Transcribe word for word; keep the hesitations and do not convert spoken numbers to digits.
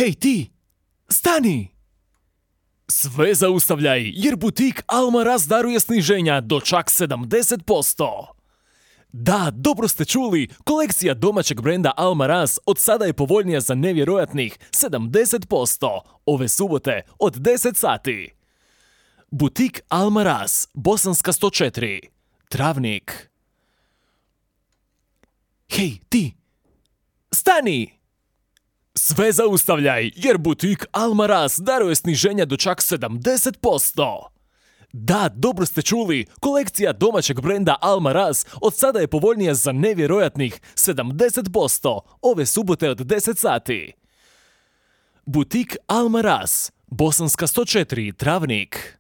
Hej ti, stani! Sve zaustavljaj, jer butik Almaraz daruje sniženja do čak sedamdeset posto. Da, dobro ste čuli, kolekcija domaćeg brenda Almaraz od sada je povoljnija za nevjerojatnih sedamdeset posto ove subote od deset sati. Butik Almaraz, Bosanska sto četiri, Travnik. Hej, ti! Stani! Sve zaustavljaj, jer butik Almaraz daruje sniženja do čak sedamdeset posto. Da, dobro ste čuli, kolekcija domaćeg brenda Almaraz od sada je povoljnija za nevjerojatnih sedamdeset posto ove subote od deset sati. Butik Almaraz, Bosanska sto četiri, Travnik.